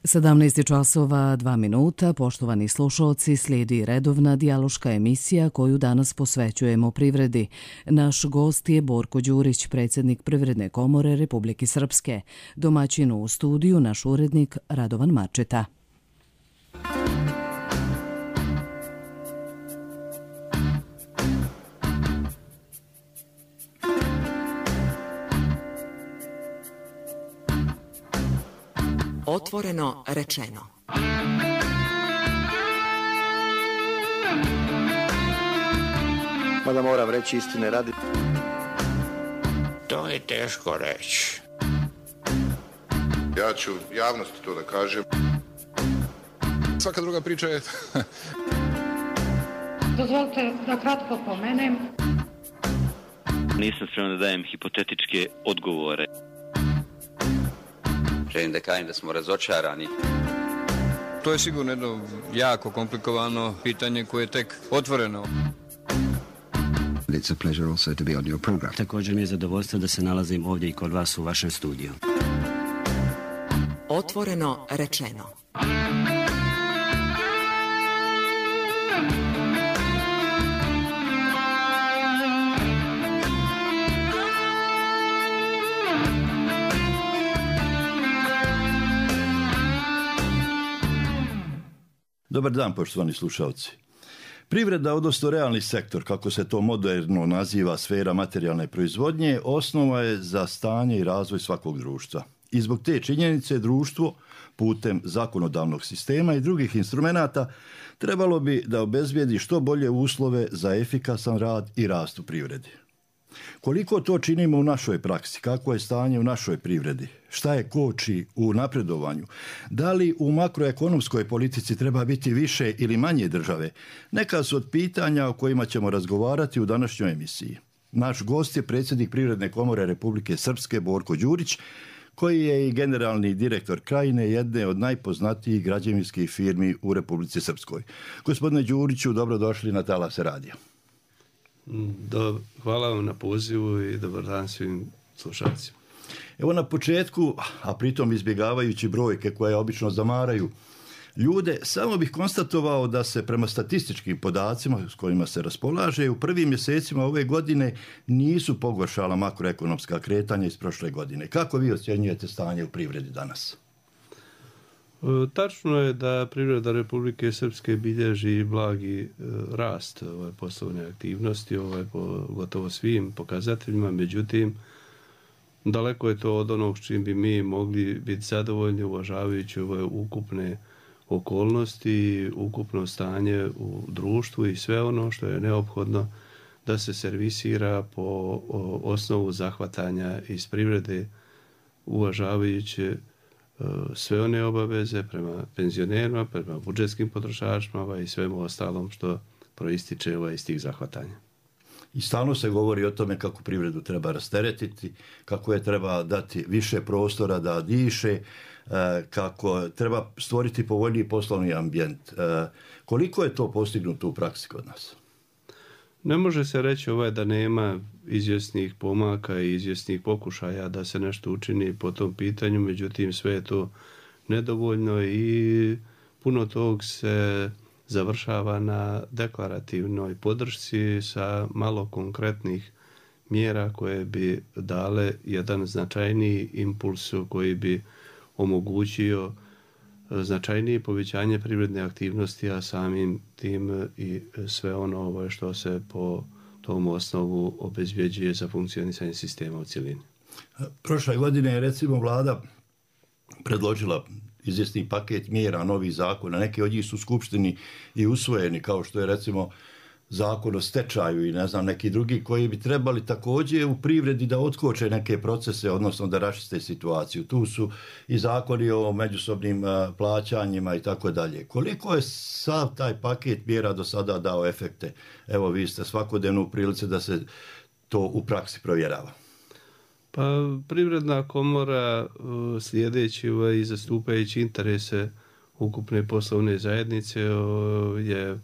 17 časova 2 minuta, poštovani slušalci, slijedi redovna dijaloška emisija koju danas posvećujemo privredi. Naš gost je Borko Đurić, predsjednik Privredne komore Republike Srpske. Domaćin u studiju naš urednik Radovan Marčeta. Otvoreno rečeno. Mada moram reći istine radi. To je teško reći. Ja ću javnosti to da kažem. Svaka druga priča je... Dozvolite da kratko pomenem. Nisam spreman da dajem hipotetičke odgovore. Želim da kažem da smo razočarani. To je sigurno jedno jako komplikovano pitanje koje je tek otvoreno. It's a pleasure also to be on your program. Također mi je zadovoljstvo da se nalazim ovdje i kod vas u vašem studiju. Otvoreno rečeno. Dobar dan, poštovani slušalci. Privreda, odnosno realni sektor, kako se to moderno naziva sfera materijalne proizvodnje, osnova je za stanje i razvoj svakog društva. I zbog te činjenice društvo, putem zakonodavnog sistema i drugih instrumenata, trebalo bi da obezbijedi što bolje uslove za efikasan rad i rast u privredi. Koliko to činimo u našoj praksi? Kako je stanje u našoj privredi? Šta je koči u napredovanju? Da li u makroekonomskoj politici treba biti više ili manje države? Neka su od pitanja o kojima ćemo razgovarati u današnjoj emisiji. Naš gost je predsjednik Privredne komore Republike Srpske Borko Đurić, koji je i generalni direktor Krajine, jedne od najpoznatijih građevinskih firmi u Republici Srpskoj. Gospodine Đuriću, dobrodošli na Talase radija. Hvala vam na pozivu i dobar dan svim slušalcima. Evo na početku, a pritom izbjegavajući brojke koje obično zamaraju ljude, samo bih konstatovao da se prema statističkim podacima s kojima se raspolaže u prvim mjesecima ove godine nisu pogoršala makroekonomska kretanja iz prošle godine. Kako vi ocjenjujete stanje u privredi danas? Tačno je da privreda Republike Srpske bilježi blagi rast poslovne aktivnosti po gotovo svim pokazateljima, međutim daleko je to od onog s čim bi mi mogli biti zadovoljni uvažavajući ove ukupne okolnosti, ukupno stanje u društvu i sve ono što je neophodno da se servisira po osnovu zahvatanja iz privrede uvažavajući sve one obaveze prema penzionerima, prema budžetskim potrošačima i svemu ostalom što proističe iz tih zahvatanja. I stalno se govori o tome kako privredu treba rasteretiti, kako je treba dati više prostora da diše, kako treba stvoriti povoljniji poslovni ambijent. Koliko je to postignuto u praksi kod nas? Ne može se reći da nema izvjesnih pomaka i izvjesnih pokušaja da se nešto učini po tom pitanju, međutim sve je to nedovoljno i puno tog se završava na deklarativnoj podršci sa malo konkretnih mjera koje bi dale jedan značajniji impuls koji bi omogućio značajnije povećanje privredne aktivnosti, a samim tim i sve ono što se po tom osnovu obezbjeđuje za funkcionisanje sistema u cjelini. Prošle godine je recimo vlada predložila izvjesni paket mjera, novih zakona. Neki od njih su u Skupštini i usvojeni, kao što je recimo zakon o stečaju i neki drugi koji bi trebali također u privredi da otkoče neke procese, odnosno da raščiste situaciju. Tu su i zakoni o međusobnim plaćanjima i tako dalje. Koliko je sav taj paket mjera do sada dao efekte? Evo, vi ste svakodnevno u prilici da se to u praksi provjerava. Pa Privredna komora slijedeći i zastupajući interese ukupne poslovne zajednice je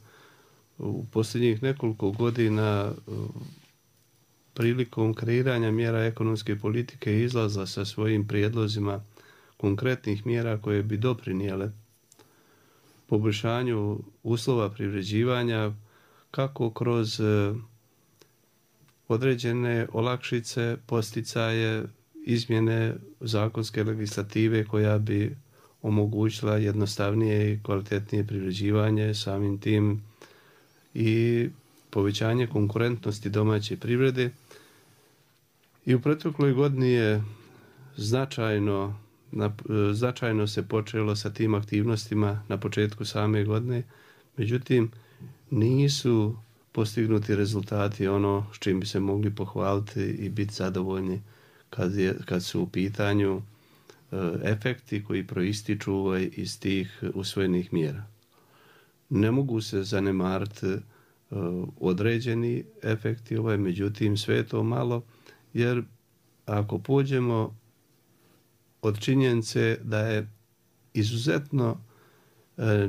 u posljednjih nekoliko godina prilikom kreiranja mjera ekonomske politike izlazla sa svojim prijedlozima konkretnih mjera koje bi doprinijele poboljšanju uslova privređivanja kako kroz određene olakšice, posticaje, izmjene zakonske legislative koja bi omogućila jednostavnije i kvalitetnije privređivanje, samim tim i povećanje konkurentnosti domaće privrede. I u protekloj godini je značajno se počelo sa tim aktivnostima na početku same godine, međutim nisu postignuti rezultati ono s čim bi se mogli pohvaliti i biti zadovoljni kad su u pitanju efekti koji proističu iz tih usvojenih mjera. Ne mogu se zanemariti određeni efekti, međutim sve je to malo, jer ako pođemo od činjenice da je izuzetno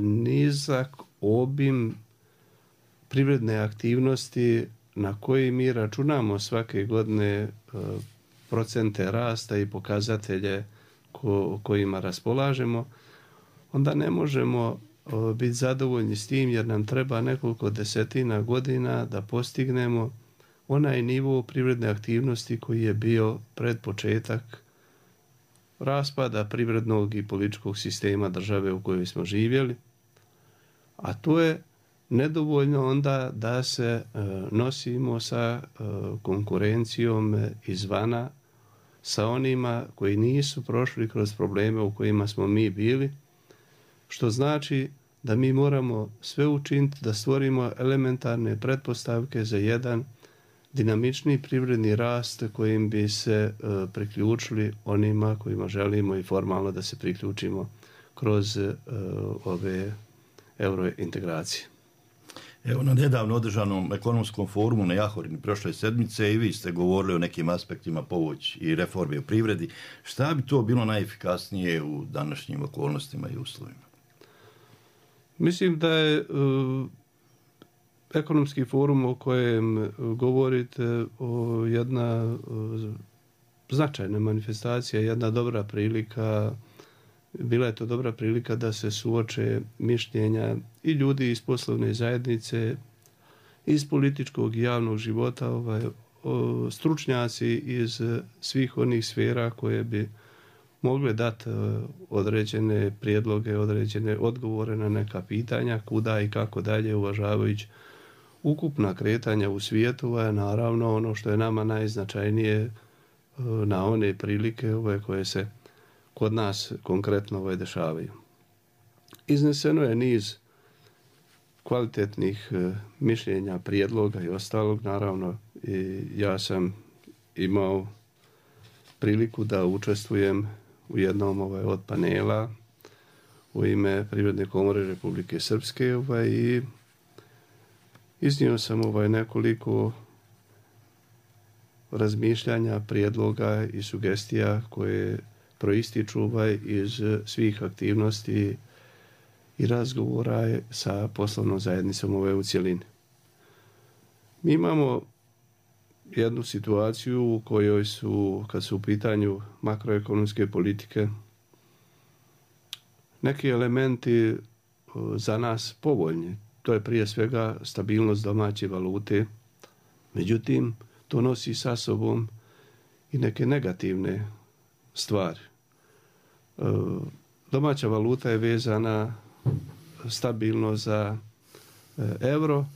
nizak obim privredne aktivnosti na koji mi računamo svake godine procente rasta i pokazatelje kojima raspolažemo, onda ne možemo biti zadovoljni s tim, jer nam treba nekoliko desetina godina da postignemo onaj nivo privredne aktivnosti koji je bio pred početak raspada privrednog i političkog sistema države u kojoj smo živjeli, a to je nedovoljno onda da se nosimo sa konkurencijom izvana, sa onima koji nisu prošli kroz probleme u kojima smo mi bili, što znači da mi moramo sve učiniti da stvorimo elementarne pretpostavke za jedan dinamični privredni rast kojim bi se priključili onima kojima želimo i formalno da se priključimo kroz ove eurointegracije. Evo, na nedavno održanom ekonomskom forumu na Jahorini prošle sedmice i vi ste govorili o nekim aspektima pomoći i reforme u privredi. Šta bi to bilo najefikasnije u današnjim okolnostima i uslovima? Mislim da je ekonomski forum o kojem govorite jedna značajna manifestacija, jedna dobra prilika. Bila je to dobra prilika da se suoče mišljenja i ljudi iz poslovne zajednice, iz političkog i javnog života, stručnjaci iz svih onih sfera koje bi mogle dati određene prijedloge, određene odgovore na neka pitanja, kuda i kako dalje, uvažavajući ukupna kretanja u svijetu, naravno ono što je nama najznačajnije na one prilike koje se kod nas konkretno dešavaju. Izneseno je niz kvalitetnih mišljenja, prijedloga i ostalog. Naravno, i ja sam imao priliku da učestvujem u jednom od panela u ime Privredne komore Republike Srpske i iznio sam nekoliko razmišljanja, prijedloga i sugestija koje proističu iz svih aktivnosti i razgovora sa poslovnom zajednicom u cjelini. Mi imamo jednu situaciju u kojoj su, kad su u pitanju makroekonomske politike, neki elementi za nas povoljni. To je prije svega stabilnost domaće valute. Međutim, to nosi sa sobom i neke negativne stvari. Domaća valuta je vezana stabilno za euro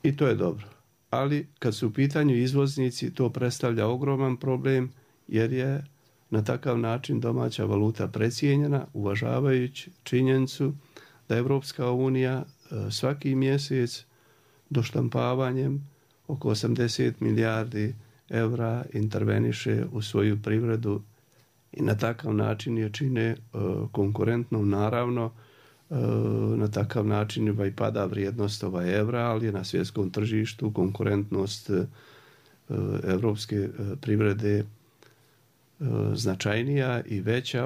i to je dobro. Ali kad su u pitanju izvoznici, to predstavlja ogroman problem, jer je na takav način domaća valuta precijenjena, uvažavajući činjenicu da Evropska unija svaki mjesec doštampavanjem oko 80 milijardi eura interveniše u svoju privredu i na takav način je čine konkurentnom. Naravno, na takav način i pada vrijednost evra, ali je na svjetskom tržištu konkurentnost evropske privrede značajnija i veća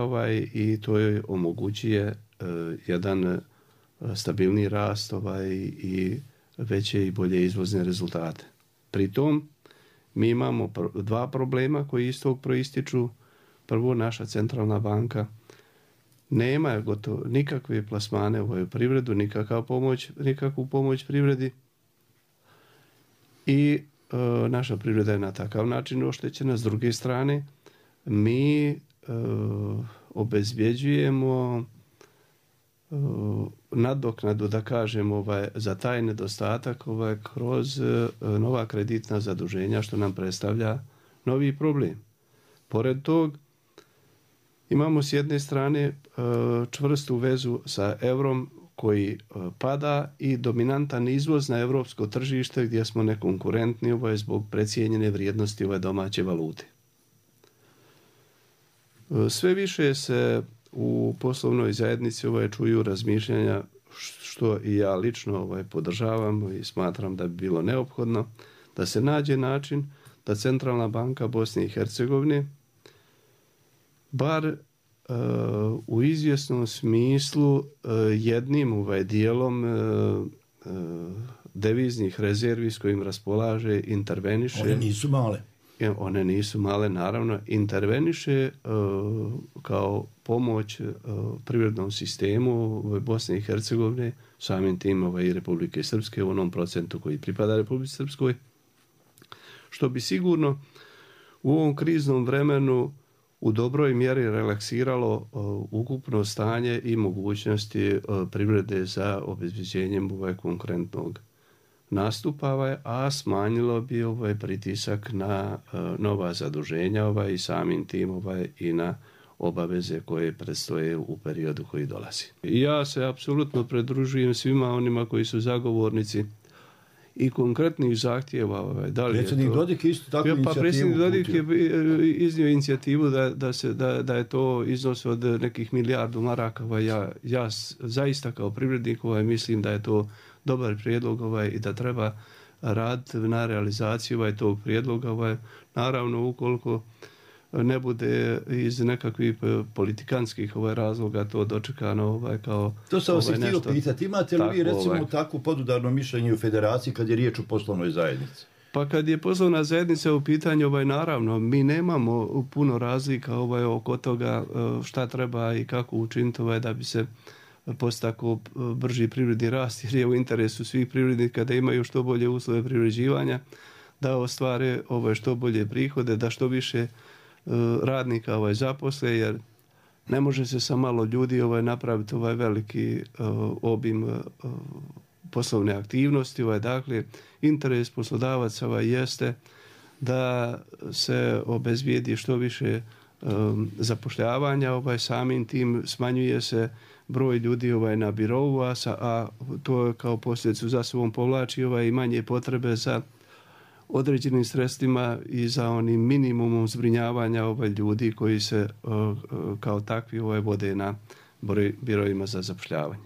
i to je omogućuje jedan stabilni rast i veće i bolje izvozne rezultate. Pritom mi imamo dva problema koji iz tog proističu. Prvo, naša centralna banka nema gotovo nikakve plasmane u privredu, nikakvu pomoć privredi i naša privreda je na takav način oštećena. S druge strane, mi obezbjeđujemo nadoknadu, da kažem, za taj nedostatak kroz nova kreditna zaduženja, što nam predstavlja novi problem. Pored tog, imamo s jedne strane čvrstu vezu sa eurom koji pada i dominantan izvoz na europsko tržište gdje smo nekonkurentni zbog precijenjene vrijednosti domaće valute. Sve više se u poslovnoj zajednici čuju razmišljanja, što i ja lično podržavam i smatram da bi bilo neophodno, da se nađe način da Centralna banka Bosne i Hercegovine bar u izvjesnom smislu jednim dijelom deviznih rezervi s kojim raspolaže interveniše. One nisu male. One nisu male, naravno, interveniše kao pomoć privrednom sistemu Bosne i Hercegovine, samim tim i Republike Srpske u onom procentu koji pripada Republici Srpskoj, što bi sigurno u ovom kriznom vremenu u dobroj mjeri relaksiralo ukupno stanje i mogućnosti privrede za obezbeđenjem konkurentnog nastupa, a smanjilo bi pritisak na nova zaduženja i samim tim i na obaveze koje predstoje u periodu koji dolazi. Ja se apsolutno pridružujem svima onima koji su zagovornici i konkretnih zahtjeva. Predsjednik Dodik je isto takvu inicijativu. Predsjednik Dodik je iznio inicijativu da je to iznos od nekih milijardu maraka. Ja zaista kao privrednik mislim da je to dobar prijedlog i da treba raditi na realizaciju tog prijedloga. Naravno, ukoliko ne bude iz nekakvih politikanskih razloga to dočekano kao to sam vas htio pitati. Imate li vi recimo takvu podudarno mišljenje u federaciji kad je riječ o poslovnoj zajednici? Pa kad je poslovna zajednica u pitanju, naravno, mi nemamo puno razlika oko toga šta treba i kako učiniti da bi se postakao brži privredni rast, jer je u interesu svih privrednika da imaju što bolje uslove privređivanja, da ostvare što bolje prihode, da što više radnika zaposle, jer ne može se sa malo ljudi napraviti veliki obim poslovne aktivnosti. Dakle, interes poslodavaca jeste da se obezbijedi što više zapošljavanja, samim tim smanjuje se broj ljudi na birou, a to kao posljedicu za sobom povlači i manje potrebe za određenim sredstvima i za onim minimumom zbrinjavanja ljudi koji se kao takvi vode na biroima za zapošljavanje.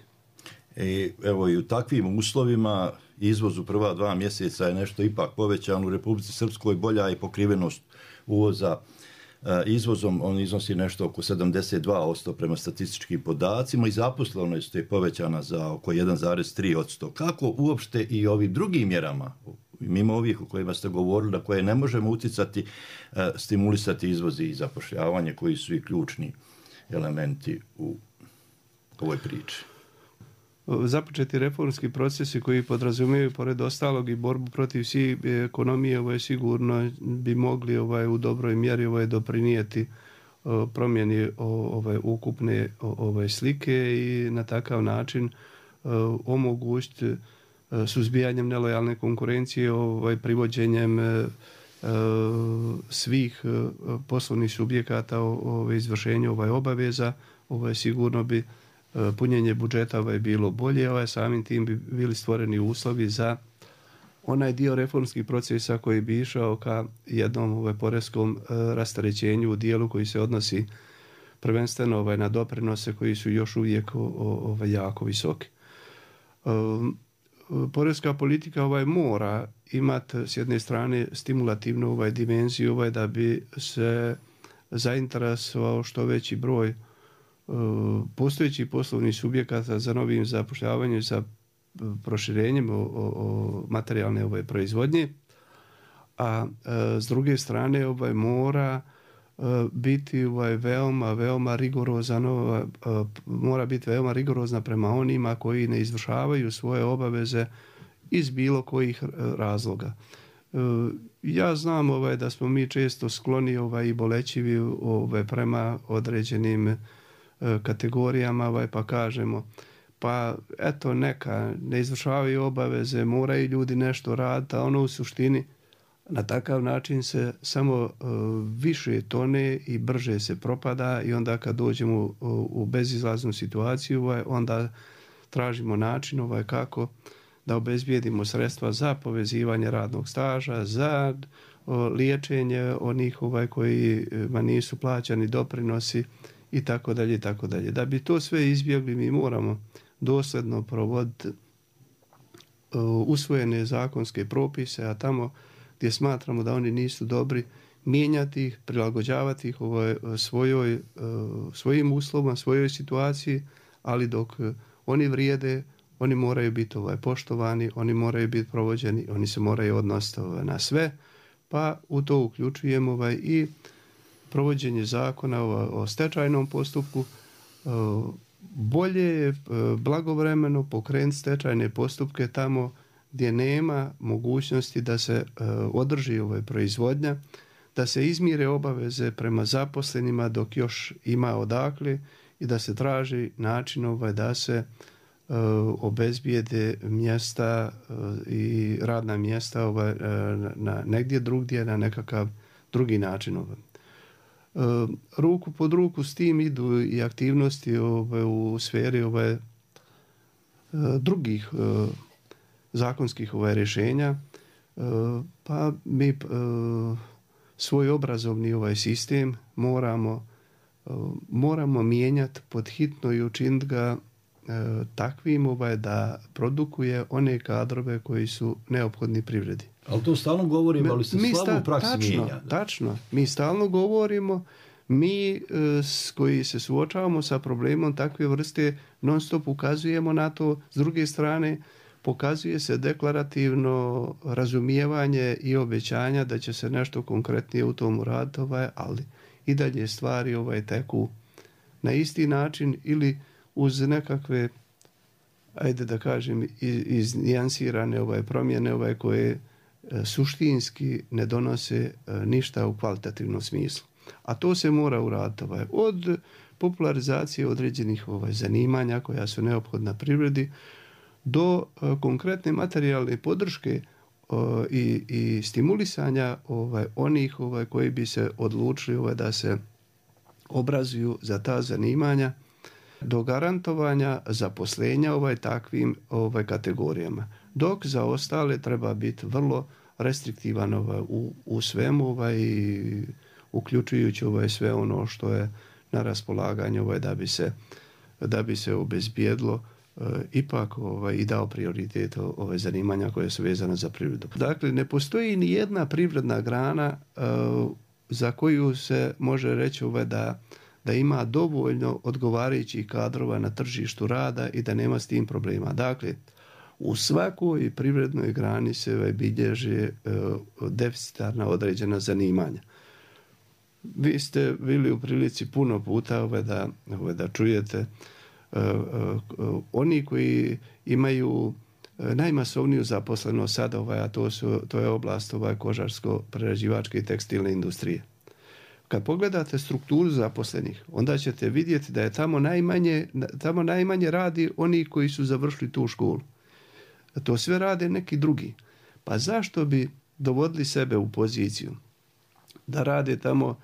Evo i u takvim uslovima izvoz u prva 2 mjeseca je nešto ipak povećan. U Republici Srpskoj bolja je pokrivenost uvoza izvozom, on iznosi nešto oko 72% prema statističkim podacima i zaposlenost je povećana za oko 1,3%. Kako uopšte i ovim drugim mjerama, mimo ovih o kojima ste govorili, na koje ne možemo utjecati, stimulisati izvoz i zapošljavanje, koji su i ključni elementi u ovoj priči? Započeti reformski procesi koji podrazumijevaju pored ostalog i borbu protiv sive ekonomije sigurno bi mogli u dobroj mjeri doprinijeti promjeni ukupne slike i na takav način omogućiti suzbijanjem nelojalne konkurencije, privođenjem svih poslovnih subjekata izvršenju obaveza, sigurno bi punjenje budžeta bilo bolje, samim tim bi bili stvoreni uslovi za onaj dio reformskih procesa koji bi išao ka jednom poreskom rasterećenju u dijelu koji se odnosi prvenstveno na doprinose koji su još uvijek jako visoki. Poreska politika mora imati s jedne strane stimulativnu dimenziju da bi se zainteresovao što veći broj postojećih poslovnih subjekata za novim zapošljavanjem, za proširenjem materijalne proizvodnje, a s druge strane mora biti veoma rigorozan, mora biti veoma rigorozna prema onima koji ne izvršavaju svoje obaveze iz bilo kojih razloga. Ja znam da smo mi često skloni i bolećivi prema određenim kategorijama, pa kažemo pa eto neka ne izvršavaju obaveze, moraju ljudi nešto raditi, a ono u suštini na takav način se samo više tone i brže se propada i onda kad dođemo u bezizlaznu situaciju, onda tražimo način kako da obezbijedimo sredstva za povezivanje radnog staža, za liječenje onih kojima nisu plaćani doprinosi i tako dalje i tako dalje. Da bi to sve izbjegli, mi moramo dosljedno provoditi usvojene zakonske propise, a tamo gdje smatramo da oni nisu dobri, mijenjati ih, prilagođavati ih svojim uslovima, svojoj situaciji, ali dok oni vrijede, oni moraju biti poštovani, oni moraju biti provođeni, oni se moraju odnositi na sve, pa u to uključujemo i provođenje zakona o stečajnom postupku. Bolje je blagovremeno pokrenuti stečajne postupke tamo gdje nema mogućnosti da se održi proizvodnja, da se izmire obaveze prema zaposlenima dok još ima odakle i da se traži način da se obezbijede mjesta i radna mjesta na negdje drugdje na nekakav drugi način. Ruku pod ruku s tim idu i aktivnosti u sferi drugih zakonskih rješenja, pa mi svoj obrazovni sistem moramo mijenjati pod hitno i učiniti ga takvim da produkuje one kadrove koji su neophodni privredi. Ali to stalno govorimo, ali se slabo u praksi mijenja. Tačno, mi stalno govorimo, mi koji se suočavamo sa problemom takve vrste non stop ukazujemo na to, s druge strane pokazuje se deklarativno razumijevanje i obećanja da će se nešto konkretnije u tom uraditi, ali i dalje stvari teku na isti način ili uz nekakve, ajde da kažem, iznijansirane promjene koje suštinski ne donose ništa u kvalitativnom smislu. A to se mora uraditi od popularizacije određenih zanimanja koja su neophodna privredi do konkretne materijalne podrške i stimulisanja onih koji bi se odlučili da se obrazuju za ta zanimanja, do garantovanja zaposlenja takvim kategorijama. Dok za ostale treba biti vrlo restriktivan u svemu uključujući sve ono što je na raspolaganju da bi se obezbijedilo ipak i dao prioritet zanimanja koje su vezane za privredu. Dakle, ne postoji ni jedna privredna grana za koju se može reći da ima dovoljno odgovarajućih kadrova na tržištu rada i da nema s tim problema. Dakle, u svakoj privrednoj grani se bilježe deficitarna određena zanimanja. Vi ste bili u prilici puno puta da čujete oni koji imaju najmasovniju zaposlenost sada, a to je oblast kožarsko-prerađivačke i tekstilne industrije. Kad pogledate strukturu zaposlenih, onda ćete vidjeti da je tamo najmanje radi oni koji su završili tu školu. To sve rade neki drugi. Pa zašto bi dovodili sebe u poziciju da rade tamo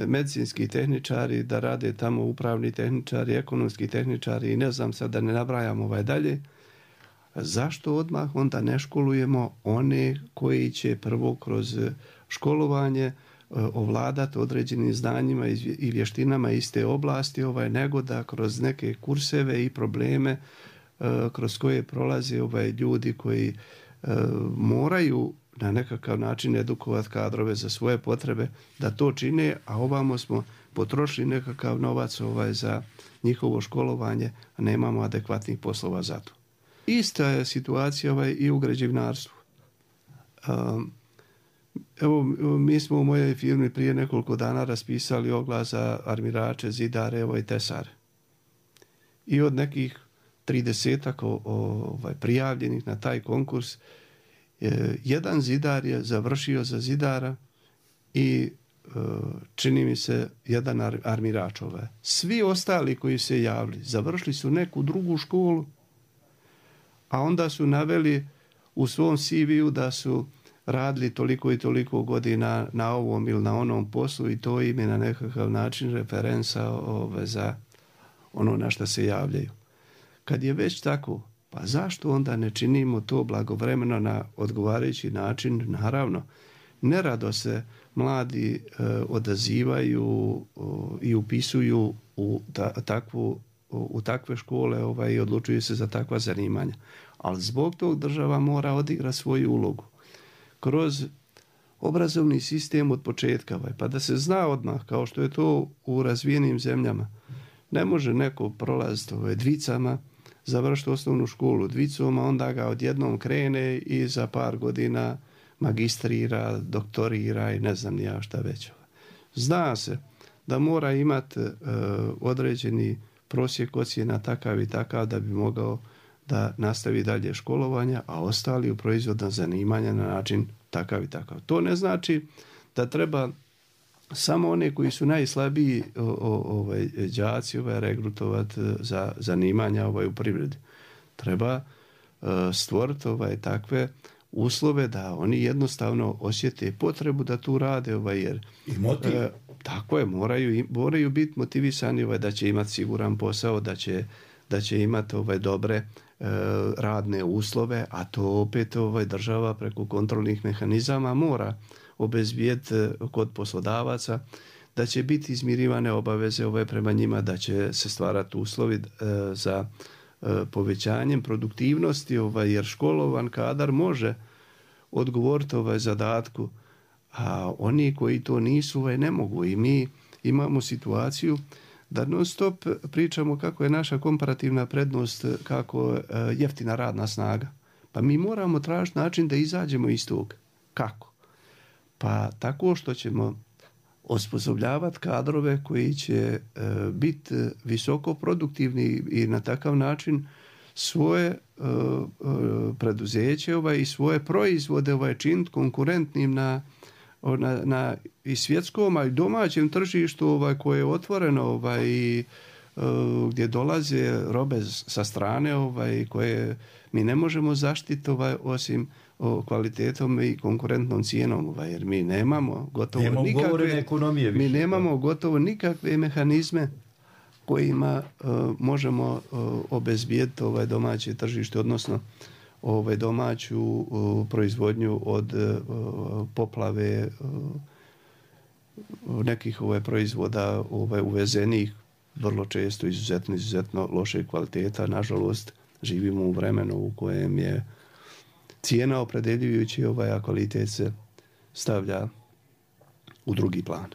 medicinski tehničari, da rade tamo upravni tehničari, ekonomski tehničari i ne znam sad da ne nabrajam dalje, zašto odmah onda ne školujemo one koji će prvo kroz školovanje ovladati određenim znanjima i vještinama iste oblasti, nego da kroz neke kurseve i probleme kroz koje prolaze ljudi koji moraju na nekakav način edukovati kadrove za svoje potrebe, da to čine, a ovamo smo potrošili nekakav novac za njihovo školovanje, a nemamo adekvatnih poslova za to. Ista je situacija i u građevinarstvu. Evo, mi smo u mojoj firmi prije nekoliko dana raspisali oglas za armirače, zidare, i tesare. I od nekih 30 prijavljenih na taj konkurs, jedan zidar je završio za zidara i čini mi se jedan armirač. Svi ostali koji se javili završili su neku drugu školu, a onda su naveli u svom CV-u da su radili toliko i toliko godina na ovom ili na onom poslu i to im je na nekakav način referenca za ono na što se javljaju. Kad je već tako, pa zašto onda ne činimo to blagovremeno na odgovarajući način? Naravno, nerado se mladi odazivaju i upisuju u takve škole i odlučuju se za takva zanimanja. Ali zbog tog država mora odigrati svoju ulogu kroz obrazovni sistem od početka, pa da se zna odmah, kao što je to u razvijenim zemljama. Ne može neko prolaziti dvicama, završiti osnovnu školu dvicom, a onda ga odjednom krene i za par godina magistrira, doktorira i ne znam ni ja šta već. Zna se da mora imati određeni prosjek ocjena takav i takav da bi mogao da nastavi dalje školovanja, a ostali u proizvodna zanimanja na način takav i takav. To ne znači da treba samo one koji su najslabiji đaci regrutovati za zanimanja u privredi. Treba stvoriti takve uslove da oni jednostavno osjete potrebu da tu rade, jer i motiv. Tako je, moraju biti motivisani da će imati siguran posao, da će imati dobre radne uslove, a to opet država preko kontrolnih mehanizama mora obezbijeti kod poslodavaca, da će biti izmirivane obaveze prema njima, da će se stvarati uslovi za povećanjem produktivnosti, jer školovan kadar može odgovoriti zadatku, a oni koji to nisu ne mogu. I mi imamo situaciju da non stop pričamo kako je naša komparativna prednost, kako jeftina radna snaga. Pa mi moramo tražiti način da izađemo iz tog. Kako? Pa tako što ćemo osposobljavati kadrove koji će biti visoko produktivni i na takav način svoje preduzeće i svoje proizvode činiti konkurentnim na i svjetskom, a i domaćem tržištu koje je otvoreno i gdje dolaze robe sa strane koje mi ne možemo zaštiti osim kvalitetom i konkurentnom cijenom, jer mi nemamo gotovo nikakve mehanizme kojima možemo obezbijeti domaće tržište, odnosno domaću proizvodnju od poplave nekih proizvoda uvezenih, vrlo često izuzetno loše kvaliteta. Nažalost, živimo u vremenu u kojem je cijena opredeljujući, a kvalitet se stavlja u drugi plan.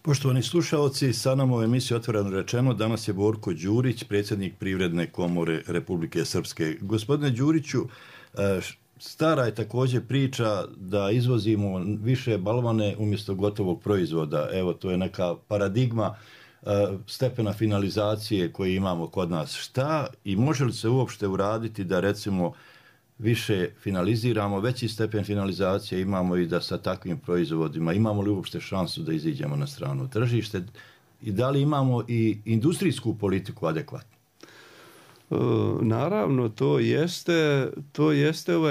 Poštovani slušaoci, sa nama u emisiji Otvoreno rečeno danas je Borko Đurić, predsjednik Privredne komore Republike Srpske. Gospodine Đuriću, stara je također priča da izvozimo više balvane umjesto gotovog proizvoda. Evo, to je neka paradigma stepena finalizacije koje imamo kod nas. Šta i može li se uopšte uraditi da recimo više finaliziramo, veći stepen finalizacije imamo i da sa takvim proizvodima imamo li uopšte šansu da iziđemo na strano tržište i da li imamo i industrijsku politiku adekvatnu? Naravno, to jeste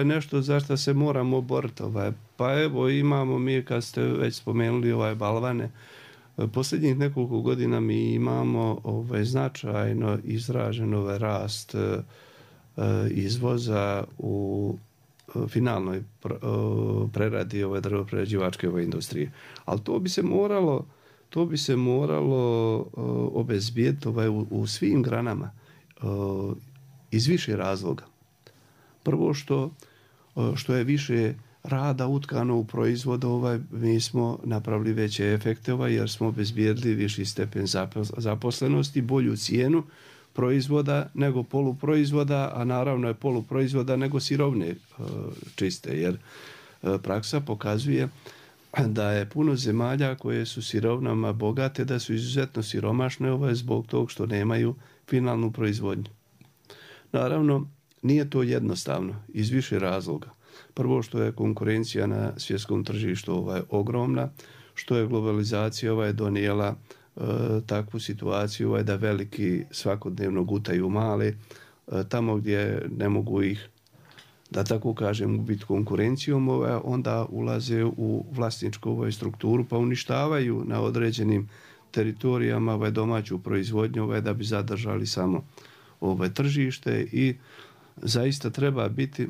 nešto za što se moramo boriti. Pa evo, imamo mi, kad ste već spomenuli balvane, posljednjih nekoliko godina mi imamo značajno izražen rast izvoza u finalnoj preradi drvoprerađivačke industrije. Ali to bi se moralo obezbijeti u svim granama iz više razloga. Prvo što je više rada utkano u proizvod, mi smo napravili veće efekte jer smo obezbijedili viši stepen zaposlenosti, bolju cijenu proizvoda nego poluproizvoda, a naravno je poluproizvoda nego sirovine čiste, jer praksa pokazuje da je puno zemalja koje su sirovinama bogate, da su izuzetno siromašne zbog tog što nemaju finalnu proizvodnju. Naravno, nije to jednostavno iz više razloga. Prvo što je konkurencija na svjetskom tržištu ogromna, što je globalizacija donijela takvu situaciju da veliki svakodnevno gutaju male, tamo gdje ne mogu ih, da tako kažem, biti konkurencijom, onda ulaze u vlasničku strukturu pa uništavaju na određenim teritorijama domaću proizvodnju da bi zadržali samo tržište i zaista treba biti,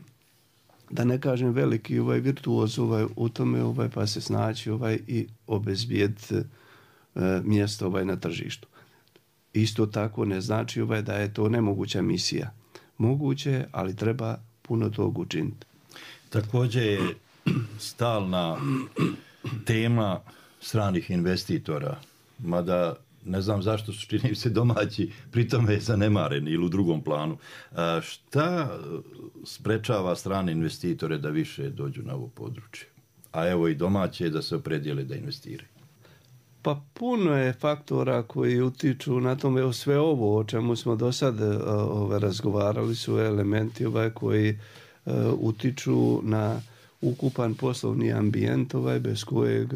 da ne kažem veliki virtuoz u tome pa se snaći i obezbijediti mjesto na tržištu. Isto tako ne znači da je to nemoguća misija. Moguće, ali treba puno tog učiniti. Također je stalna tema stranih investitora, mada ne znam zašto su, čini se, domaći pri tome zanemareni ili u drugom planu. Šta sprečava strane investitore da više dođu na ovo područje? A evo i domaće da se opredijele da investiraju. Pa puno je faktora koji utiču na tome. Sve ovo o čemu smo do sad razgovarali su elementi koji utiču na ukupan poslovni ambijent bez kojeg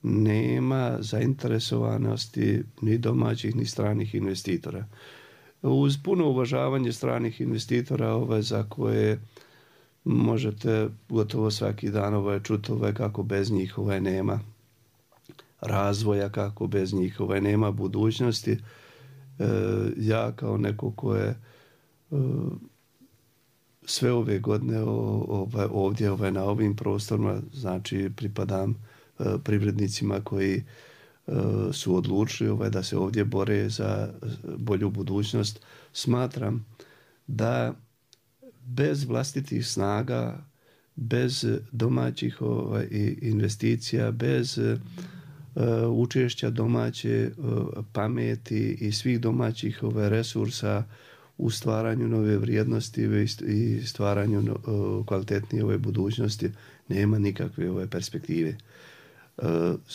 nema zainteresovanosti ni domaćih ni stranih investitora. Uz puno uvažavanje stranih investitora za koje možete gotovo svaki dan čuti kako bez njih nema razvoja, kako bez njih nema budućnosti. Ja kao neko ko je sve ove godine ovdje na ovim prostorima, znači pripadam privrednicima koji su odlučili da se ovdje bore za bolju budućnost. Smatram da bez vlastitih snaga, bez domaćih investicija, bez učešća domaće pameti i svih domaćih resursa u stvaranju nove vrijednosti i stvaranju kvalitetnije budućnosti nema nikakve perspektive.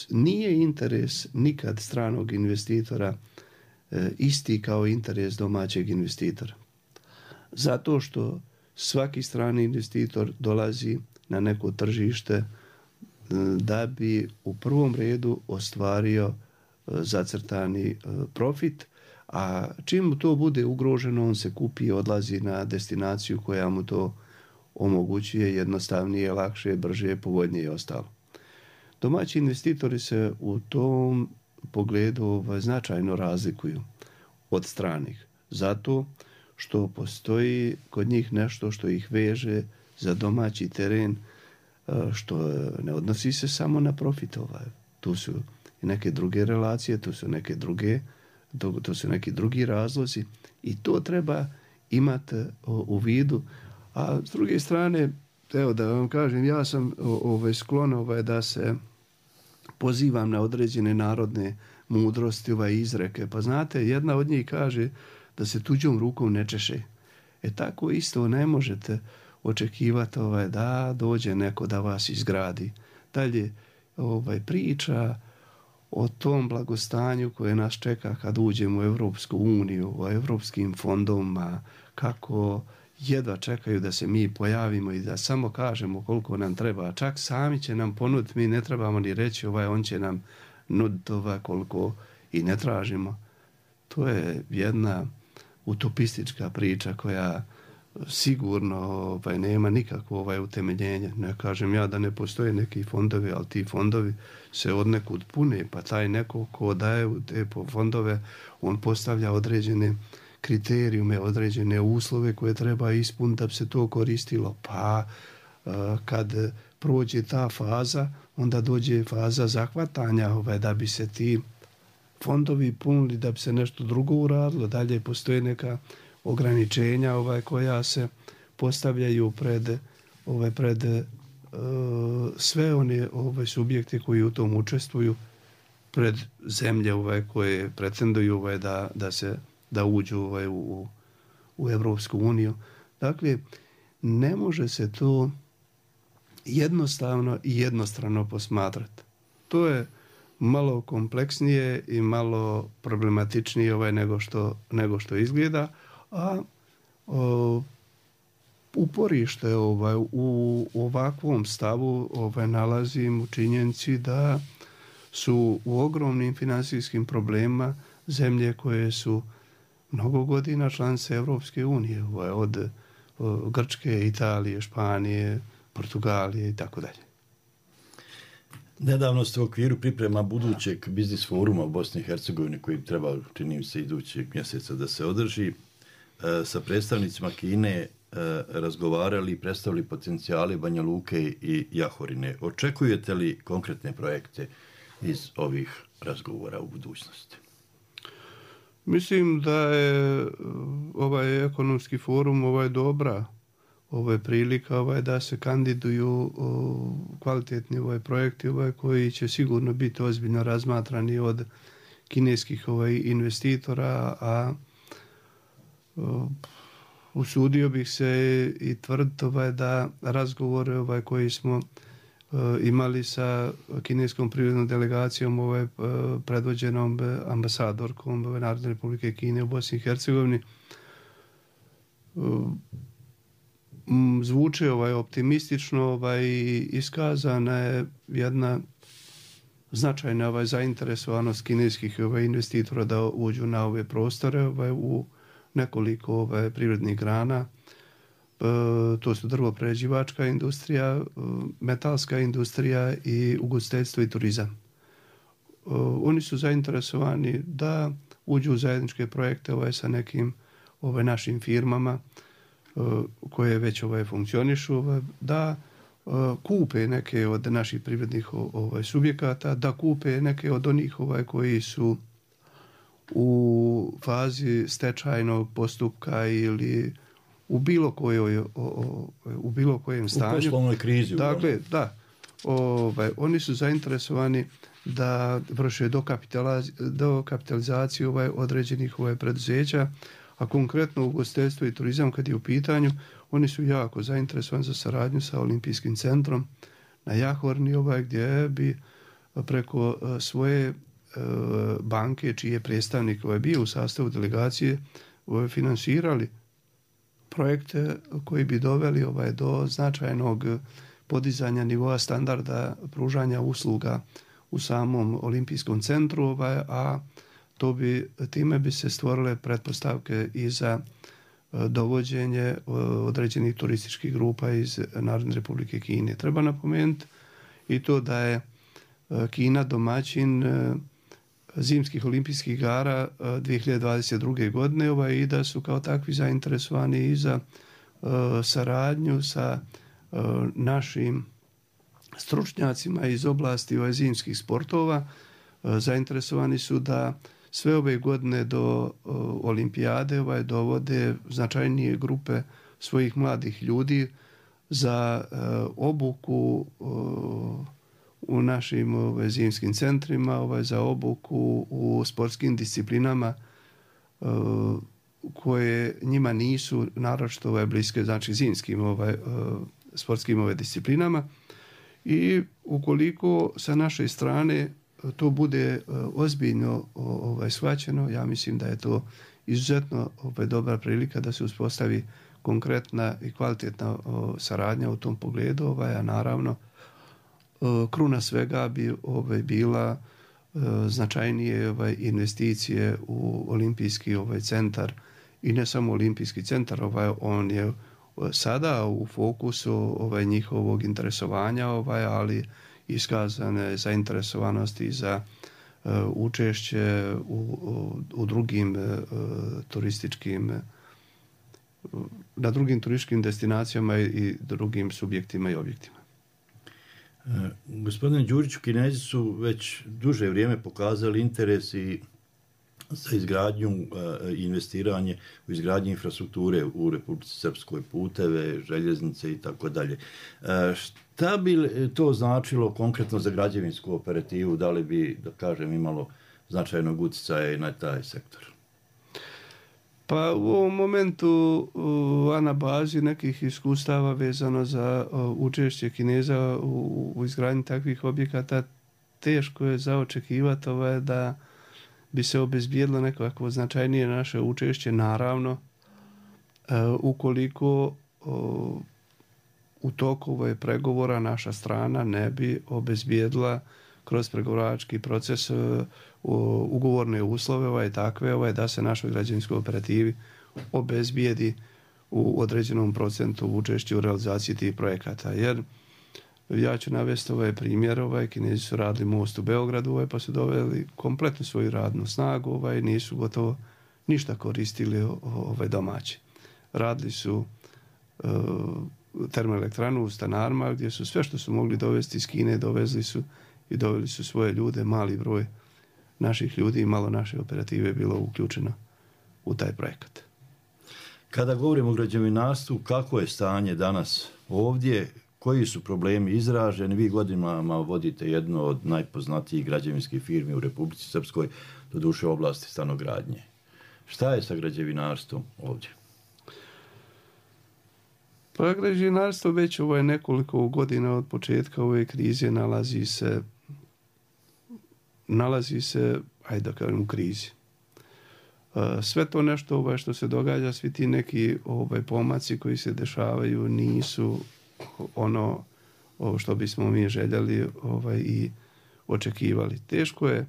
Nije interes nikad stranog investitora isti kao interes domaćeg investitora. Zato što svaki strani investitor dolazi na neko tržište da bi u prvom redu ostvario zacrtani profit, a čim mu to bude ugroženo, on se kupi i odlazi na destinaciju koja mu to omogućuje jednostavnije, lakše, brže, povoljnije i ostalo. Domaći investitori se u tom pogledu značajno razlikuju od stranih, zato što postoji kod njih nešto što ih veže za domaći teren, što ne odnosi se samo na profit. Tu su i neke druge relacije, tu su neki drugi razlozi i to treba imati u vidu. A s druge strane, evo da vam kažem, ja sam sklon da se pozivam na određene narodne mudrosti, izreke. Pa znate, jedna od njih kaže da se tuđom rukom ne češe. Tako isto ne možete očekivati da dođe neko da vas izgradi. Dalje priča o tom blagostanju koje nas čeka kad uđemo u Europsku uniju, o europskim fondovima, kako jedva čekaju da se mi pojavimo i da samo kažemo koliko nam treba. Čak sami će nam ponuditi, mi ne trebamo ni reći on će nam nuditi koliko i ne tražimo. To je jedna utopistička priča koja sigurno nema nikakvo utemeljenje. Ne kažem ja da ne postoje neki fondovi, ali ti fondovi se odnekud pune, pa taj neko ko daje te fondove, on postavlja određene kriterijume, određene uslove koje treba ispuniti da bi se to koristilo. Pa kad prođe ta faza, onda dođe faza zahvatanja da bi se ti fondovi punili, da bi se nešto drugo uradilo. Dalje postoje neka ograničenja koja se postavljaju pred sve one subjekte koji u tom učestvuju, pred zemlje koje pretenduju da uđu u Europsku uniju. Dakle, ne može se to jednostavno i jednostrano posmatrati. To je malo kompleksnije i malo problematičnije nego što izgleda, a uporište u ovakvom stavu nalazim u činjenici da su u ogromnim financijskim problemima zemlje koje su mnogo godina članice Europske unije, od Grčke, Italije, Španije, Portugalije i tako dalje. Nedavno ste u okviru priprema budućeg biznis foruma u Bosni i Hercegovini koji treba, čini mi se, idućeg mjeseca da se održi, sa predstavnicima Kine razgovarali i predstavili potencijale Banja Luke i Jahorine. Očekujete li konkretne projekte iz ovih razgovora u budućnosti? Mislim da je ovaj ekonomski forum dobra prilika da se kandiduju kvalitetni projekti koji će sigurno biti ozbiljno razmatrani od kineskih investitora, a usudio bih se i tvrditi da razgovore koji smo imali sa kineskom privrednom delegacijom predvođenom ambasadorkom Narodne Republike Kine u Bosni i Hercegovini zvuče optimistično i iskazana je jedna značajna zainteresovanost kineskih investitora da uđu na ove prostore u nekoliko privrednih grana. To su drvoprerađivačka industrija, metalska industrija i ugostiteljstvo i turizam. Oni su zainteresovani da uđu u zajedničke projekte sa nekim našim firmama koje već funkcionišu, da kupe neke od naših privrednih subjekata, da kupe neke od onih koji su u fazi stečajnog postupka ili u bilo kojem stanju. U poslovnoj krizi. Dakle, da. Oni su zainteresovani da vrše dokapitalizaciju određenih preduzeća, a konkretno ugostiteljstvo i turizam kad je u pitanju, oni su jako zainteresovani za saradnju sa Olimpijskim centrom na Jahorni, gdje bi preko svoje banke, čiji je predstavnik bio u sastavu delegacije, finansirali projekte koji bi doveli do značajnog podizanja nivoa standarda pružanja usluga u samom Olimpijskom centru, a time bi se stvorile pretpostavke i za dovođenje određenih turističkih grupa iz Narodne Republike Kine. Treba napomenuti i to da je Kina domaćin zimskih olimpijskih igara 2022. godine i da su kao takvi zainteresovani i za saradnju sa našim stručnjacima iz oblasti zimskih sportova. Zainteresovani su da sve ove godine do olimpijade dovode značajnije grupe svojih mladih ljudi za obuku u našim zimskim centrima, za obuku u sportskim disciplinama koje njima nisu naročito bliske, znači zimskim sportskim disciplinama. I ukoliko sa naše strane to bude ozbiljno shvaćeno, ja mislim da je to izuzetno dobra prilika da se uspostavi konkretna i kvalitetna saradnja u tom pogledu, a naravno kruna svega bi bila značajnije investicije u olimpijski centar i ne samo olimpijski centar, on je sada u fokusu njihovog interesovanja, ali iskazane zainteresovanosti za učešće u drugim turističkim na drugim turističkim destinacijama i drugim subjektima i objektima. Gospodine Đuriću, Kinezi su već duže vrijeme pokazali interes i za izgradnju i investiranje u izgradnju infrastrukture u Republici Srpskoj, puteve, željeznice i tako dalje. Šta bi to značilo konkretno za građevinsku operativu? Da li bi, da kažem, imalo značajnog utjecaja na taj sektor? Pa u ovom momentu, a na bazi nekih iskustava vezano za učešće Kineza u izgradnji takvih objekata, teško je za očekivati da bi se obezbijedilo nekako značajnije naše učešće, naravno, ukoliko u toku ove pregovora naša strana ne bi obezbijedila kroz pregovarački proces ugovorne uslove takve da se našoj građevinskoj operativi obezbijedi u određenom procentu učešća u realizaciji tih projekata. Jer ja ću navesti primjer, Kinezi su radili most u Beogradu, pa su doveli kompletnu svoju radnu snagu, nisu gotovo ništa koristili domaći. Radili su termoelektranu u Stanarima, gdje su sve što su mogli dovesti iz Kine dovezli su i doveli su svoje ljude, mali broj naših ljudi i malo naše operative bilo uključeno u taj projekat. Kada govorimo o građevinarstvu, kako je stanje danas ovdje, koji su problemi izraženi? Vi godinama vodite jednu od najpoznatijih građevinskih firmi u Republici Srpskoj, doduše u oblasti stanogradnje. Šta je sa građevinarstvom ovdje? Pa građevinarstvo već nekoliko godina od početka ove krize nalazi se, ajde da kažem, u krizi. Sve to nešto što se događa, svi ti neki pomaci koji se dešavaju nisu ono što bismo mi željeli i očekivali. Teško je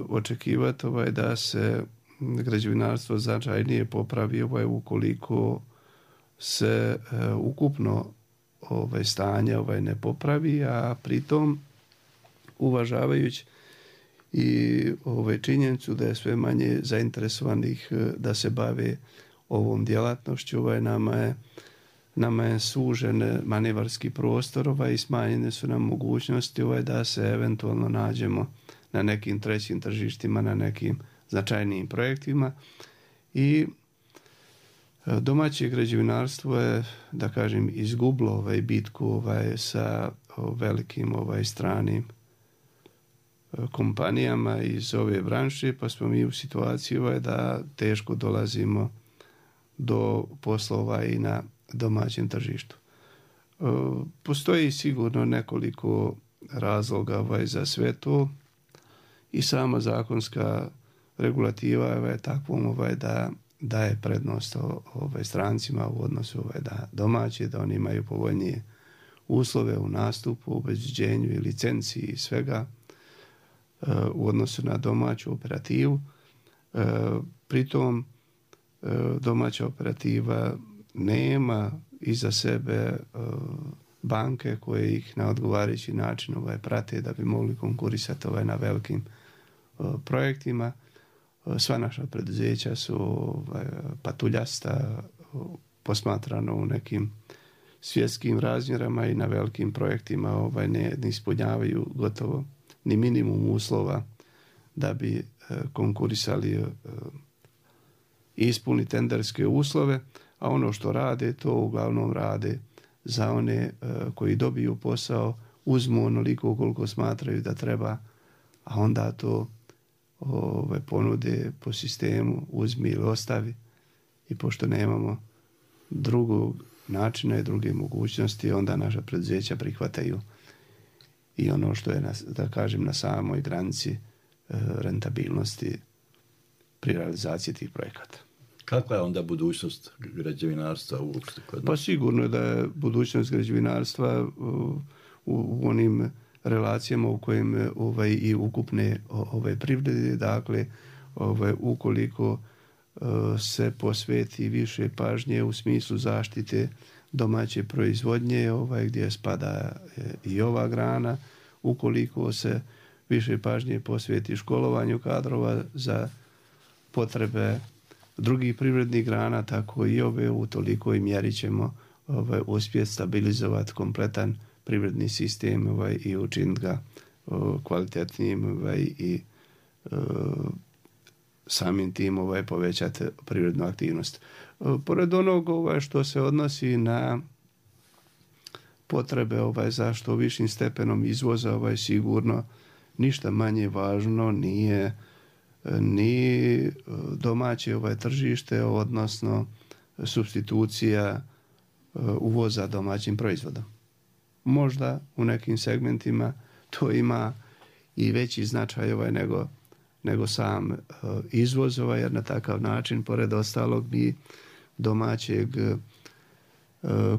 očekivati da se građevinarstvo značajnije popravi ukoliko se ukupno stanje ne popravi, a pritom uvažavajući i činjenicu da je sve manje zainteresovanih da se bave ovom djelatnošću, nama je sužen manevarski prostor i smanjene su nam mogućnosti da se eventualno nađemo na nekim trećim tržištima, na nekim značajnijim projektima. I domaće građevinarstvo je, da kažem, izgubilo bitku sa velikim stranim kompanijama iz ove branše, pa smo mi u situaciji da teško dolazimo do poslova i na domaćem tržištu. Postoji sigurno nekoliko razloga za sve to i sama zakonska regulativa je takvom da daje prednost strancima u odnosu da domaće, da oni imaju povoljnije uslove u nastupu, obezbeđenju i licenciji i svega u odnosu na domaću operativu. Pritom domaća operativa nema iza sebe banke koje ih na odgovarajući način prate da bi mogli konkurisati na velikim projektima. Sva naša preduzeća su patuljasta, posmatrano u nekim svjetskim razmjerama i na velikim projektima ne ispunjavaju gotovo ni minimum uslova da bi konkurisali i ispuni tenderske uslove, a ono što rade, to uglavnom rade za one koji dobiju posao, uzmu onoliko koliko smatraju da treba, a onda to ponude po sistemu uzmi ili ostavi, i pošto nemamo drugog načina i druge mogućnosti, onda naša preduzeća prihvataju i ono što je, da kažem, na samoj granici rentabilnosti pri realizaciji tih projekata. Kakva je onda budućnost građevinarstva uopšte kod nas? Pa sigurno je da je budućnost građevinarstva u onim relacijama u kojim i ukupne privrede, dakle ukoliko se posveti više pažnje u smislu zaštite domaće proizvodnje, gdje spada i ova grana, ukoliko se više pažnje posveti školovanju kadrova za potrebe drugih privrednih grana, tako i ove, u tolikoj mjeri ćemo uspjeti stabilizovati kompletan privredni sistem i učiniti ga kvalitetnijim i samim tim povećati privrednu aktivnost. Pored onog što se odnosi na potrebe za što višim stepenom izvoza, sigurno ništa manje važno nije ni domaće tržište, odnosno supstitucija uvoza domaćim proizvodom. Možda u nekim segmentima to ima i veći značaj nego sam izvoz, jer na takav način, pored ostalog, mi domaćeg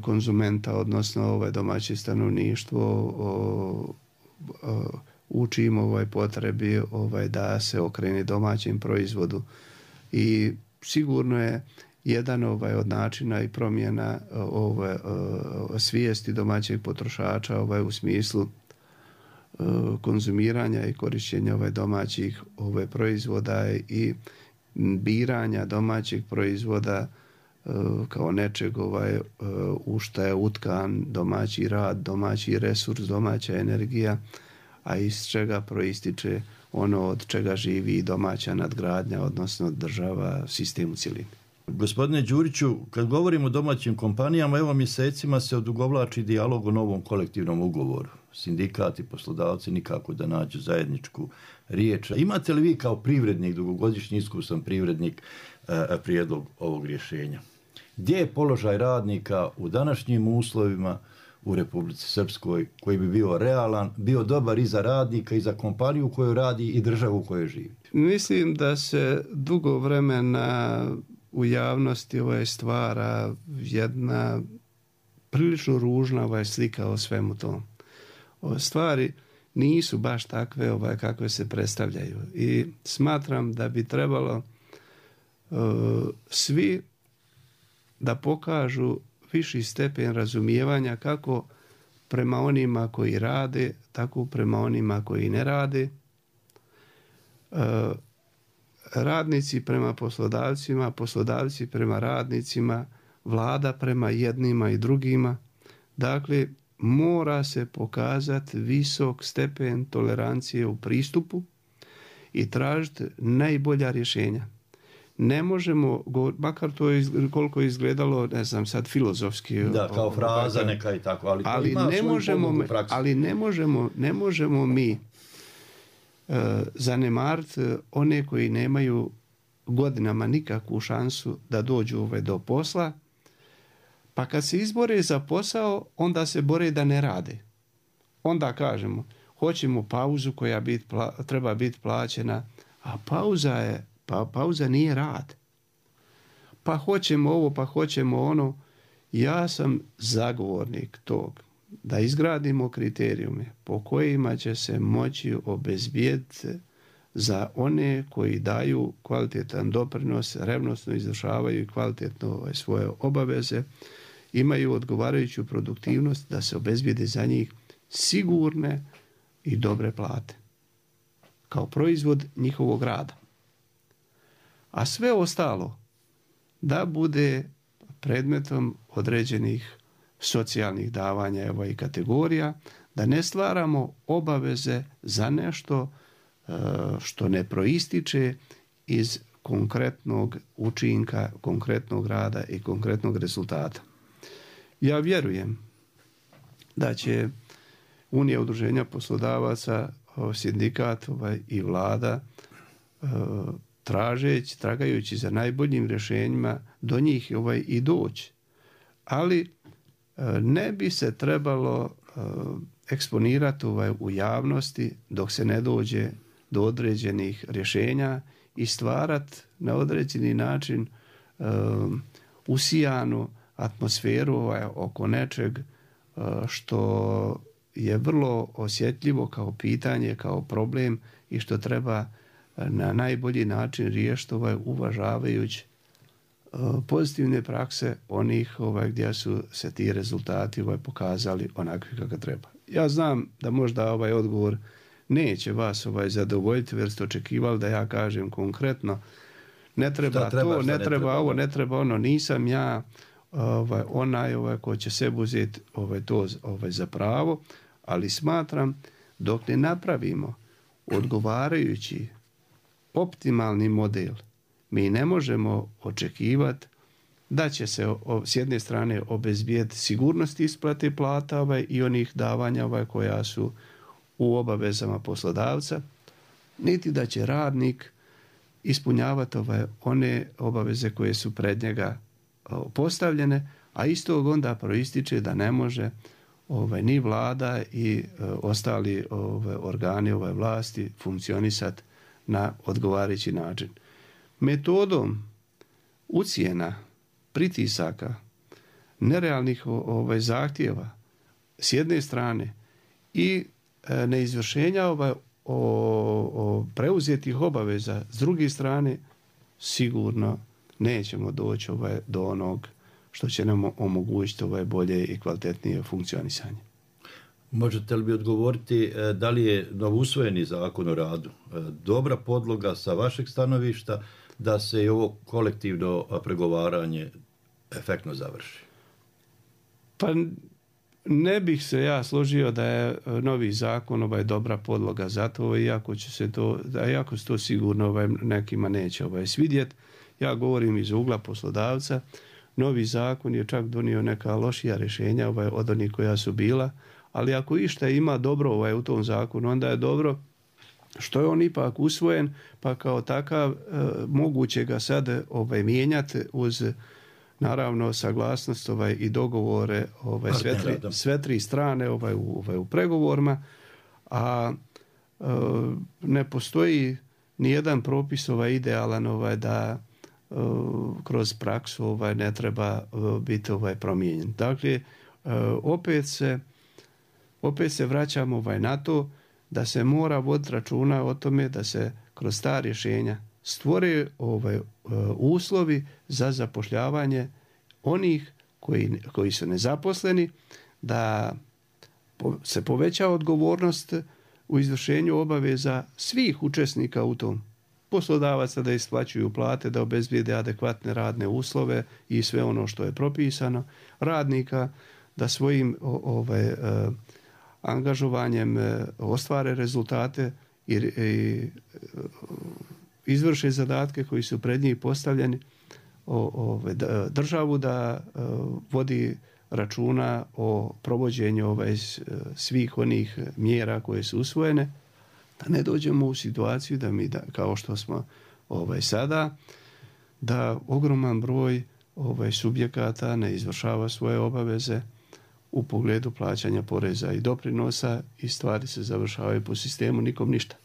konzumenta, odnosno domaće stanovništvo učimo potrebi da se okrene domaćem proizvodu. I sigurno je jedan od načina i promjena svijesti domaćeg potrošača u smislu konzumiranja i korišćenja domaćih proizvoda i biranja domaćeg proizvoda kao nečeg u što je utkan domaći rad, domaći resurs, domaća energija, a iz čega proističe ono od čega živi domaća nadgradnja, odnosno država, sistem u cjelini. Gospodine Đuriću, kad govorimo o domaćim kompanijama, evo mjesecima se odugovlači dijalog o novom kolektivnom ugovoru. Sindikati, poslodavci nikako da nađu zajedničku riječ. Imate li vi kao privrednik, dugogodišnji iskusan privrednik, prijedlog ovog rješenja? Gdje je položaj radnika u današnjim uslovima u Republici Srpskoj koji bi bio realan, bio dobar i za radnika i za kompaniju koju radi i državu u kojoj živi? Mislim da se dugo vremena u javnosti stvara jedna prilično ružna slika o svemu tom. Stvari nisu baš takve kakve se predstavljaju i smatram da bi trebalo svi da pokažu viši stepen razumijevanja kako prema onima koji rade, tako prema onima koji ne rade. Radnici prema poslodavcima, poslodavci prema radnicima, vlada prema jednima i drugima. Dakle, mora se pokazati visok stepen tolerancije u pristupu i tražiti najbolja rješenja. Ne možemo, makar to koliko je izgledalo, ne znam sad filozofski. Da, kao fraza neka i tako, ali ima svoju pomogu u praksi. Ali ne možemo mi zanemariti one koji nemaju godinama nikakvu šansu da dođu do posla, pa kad se izbore za posao, onda se bore da ne rade. Onda kažemo, hoćemo pauzu koja treba biti plaćena, a pauza nije rad. Pa hoćemo ovo, pa hoćemo ono. Ja sam zagovornik tog da izgradimo kriterijume po kojima će se moći obezbijediti za one koji daju kvalitetan doprinos, revnosno izvršavaju kvalitetno svoje obaveze, imaju odgovarajuću produktivnost, da se obezbijede za njih sigurne i dobre plate kao proizvod njihovog rada. A sve ostalo da bude predmetom određenih socijalnih davanja i kategorija, da ne stvaramo obaveze za nešto što ne proističe iz konkretnog učinka, konkretnog rada i konkretnog rezultata. Ja vjerujem da će Unija udruženja poslodavaca, sindikat i vlada tragajući za najboljim rješenjima do njih i doći. Ali ne bi se trebalo eksponirati u javnosti dok se ne dođe do određenih rješenja i stvarati na određeni način usijanu atmosferu oko nečeg što je vrlo osjetljivo kao pitanje, kao problem i što treba na najbolji način riješiti uvažavajući pozitivne prakse onih gdje su se ti rezultati pokazali onakvi kako treba. Ja znam da možda odgovor neće vas zadovoljiti, jer ste očekivali da ja kažem konkretno ne treba to, ne treba ovo, ne treba ono. Nisam ja onaj ko će sebi uzeti to za pravo, ali smatram dok ne napravimo odgovarajući optimalni model, mi ne možemo očekivati da će se s jedne strane obezbijeti sigurnost isplate plata i onih davanja koja su u obavezama poslodavca, niti da će radnik ispunjavati one obaveze koje su pred njega postavljene, a istog onda proističe da ne može ni vlada i ostali organi vlasti funkcionisati na odgovarajući način. Metodom ucjena, pritisaka, nerealnih zahtjeva s jedne strane i neizvršenja preuzetih obaveza s druge strane, sigurno nećemo doći do onog što će nam omogućiti bolje i kvalitetnije funkcionisanje. Možete li bi odgovoriti da li je novousvojeni zakon o radu dobra podloga sa vašeg stanovišta da se i ovo kolektivno pregovaranje efektno završi? Pa ne bih se ja složio da je novi zakon dobra podloga za to, iako se to sigurno nekima neće svidjeti. Ja govorim iz ugla poslodavca. Novi zakon je čak donio neka lošija rješenja od onih koja su bila, ali ako išta ima dobro u tom zakonu, onda je dobro što je on ipak usvojen, pa kao takav moguće ga sad mijenjati uz naravno saglasnost i dogovore sve tri strane u pregovorima, a ne postoji ni jedan propis idealan da kroz praksu ne treba biti promijenjen. Dakle, opet se vraćamo na to da se mora voditi računa o tome da se kroz ta rješenja stvore uslovi za zapošljavanje onih koji su nezaposleni, da se poveća odgovornost u izvršenju obaveza svih učesnika u tom. Poslodavaca da isplaćuju plate, da obezbijede adekvatne radne uslove i sve ono što je propisano. Radnika da svojim angažovanjem ostvare rezultate i izvrše zadatke koji su pred njih postavljeni. Državu da vodi računa o provođenju svih onih mjera koje su usvojene, da ne dođemo u situaciju da mi, kao što smo sada, da ogroman broj subjekata ne izvršava svoje obaveze u pogledu plaćanja poreza i doprinosa i stvari se završavaju po sistemu nikom ništa.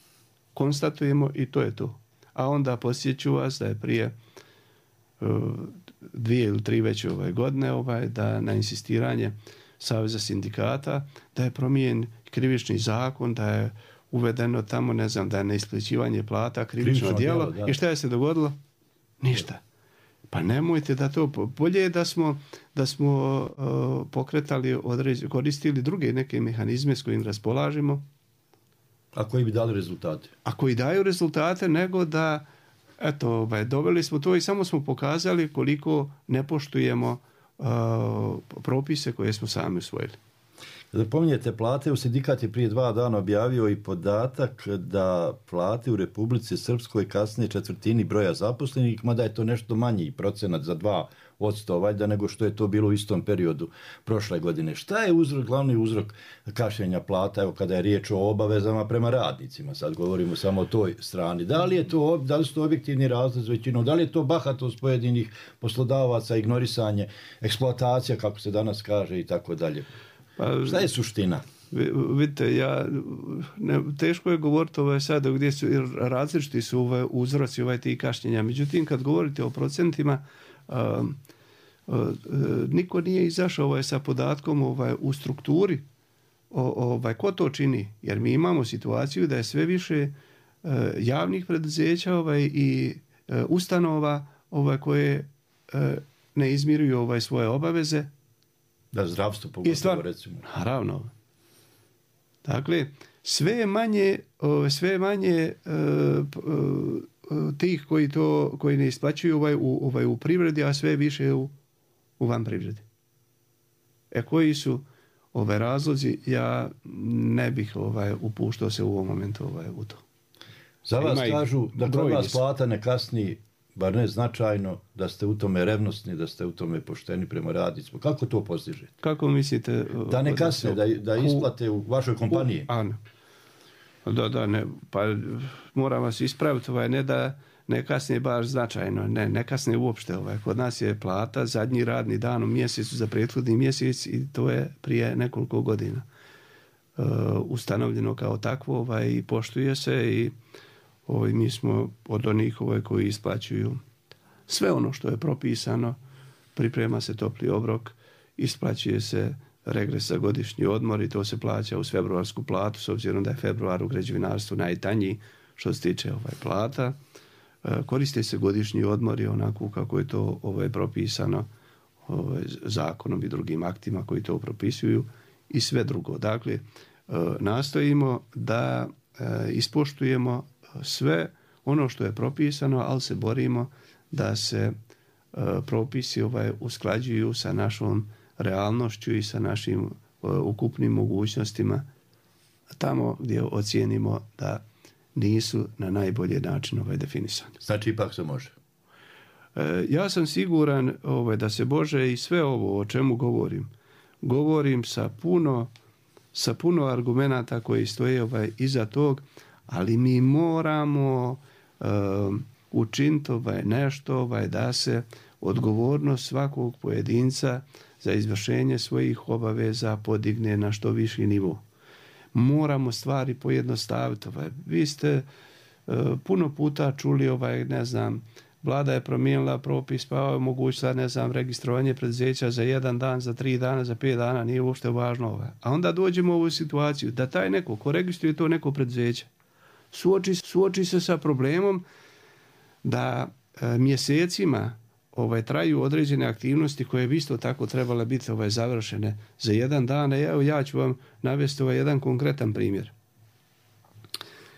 Konstatujemo i to je to. A onda podsjeću vas da je prije 2 ili 3 već godine da na insistiranje Saveza sindikata da je promijenjen krivični zakon, da je uvedeno tamo, ne znam, da je neisplaćivanje plata krivično djelo. I šta je se dogodilo? Ništa. Pa nemojte da to, bolje je da smo pokretali, koristili druge neke mehanizme s kojim raspolažemo. A koji bi dali rezultate? A koji daju rezultate, nego da doveli smo to i samo smo pokazali koliko ne poštujemo propise koje smo sami usvojili. Kada pominjete plate, u sindikat je prije 2 dana objavio i podatak da plate u Republici Srpskoj kasne četvrtini broja zaposlenih, mada je to nešto manji procenat za 2% valjda nego što je to bilo u istom periodu prošle godine. Šta je glavni uzrok kašnjenja plata, evo kada je riječ o obavezama prema radnicima, sad govorimo samo o toj strani. Da li su to objektivni razlozi većinom, da li je to bahatost pojedinih poslodavaca, ignorisanje, eksploatacija, kako se danas kaže i tako dalje? Šta je suština? Vidite, teško je govoriti sada gdje su različiti su uzroci ti kašnjenja. Međutim, kad govorite o procentima, niko nije izašao sa podatkom u strukturi ko to čini. Jer mi imamo situaciju da je sve više javnih preduzeća i ustanova koje ne izmiruju svoje obaveze. Da, zdravstvo pogotovo, recimo. Naravno. Dakle, sve je manje tih koji ne isplaćuju u privredi, a sve više u van privredi. Koji su razlozi, ja ne bih upuštao se u ovom momentu u to. Za vas kažu da kod vas plata ne kasni, bar ne značajno, da ste u tome revnosni, da ste u tome pošteni prema radnicima. Kako to postižete? Kako mislite? Da ne kasne, da isplate u vašoj kompaniji? Ne. Pa moram vas ispraviti, ne kasne baš značajno, ne kasne uopšte. Kod nas je plata zadnji radni dan u mjesecu za prethodni mjesec i to je prije nekoliko godina ustanovljeno kao takvo i poštuje se i mi smo od onih koji isplaćuju sve ono što je propisano, priprema se topli obrok, isplaćuje se regres za godišnji odmor i to se plaća uz februarsku platu, s obzirom da je februar u građevinarstvu najtanji što se tiče plata. Koriste se godišnji odmori onako kako je to propisano zakonom i drugim aktima koji to propisuju i sve drugo. Dakle, nastojimo da ispoštujemo sve ono što je propisano, ali se borimo da se propisi usklađuju sa našom realnošću i sa našim ukupnim mogućnostima tamo gdje ocijenimo da nisu na najbolji način definisani. Znači ipak se može? Ja sam siguran da se može i sve ovo o čemu govorim sa puno argumenata koji stoje iza tog, ali mi moramo učiniti nešto da se odgovornost svakog pojedinca za izvršenje svojih obaveza podigne na što viši nivo. Moramo stvari pojednostaviti. Vi ste puno puta čuli, Vlada je promijenila propis, pa je omogućila, registrovanje preduzeća za 1 dan, za 3 dana, za 5 dana, nije uopšte važno. A onda dođemo u ovu situaciju da taj neko ko registruje to neko preduzeće suoči se sa problemom da mjesecima traju određene aktivnosti koje bi isto tako trebale biti završene za 1 dan. Evo, ja ću vam navesti jedan konkretan primjer.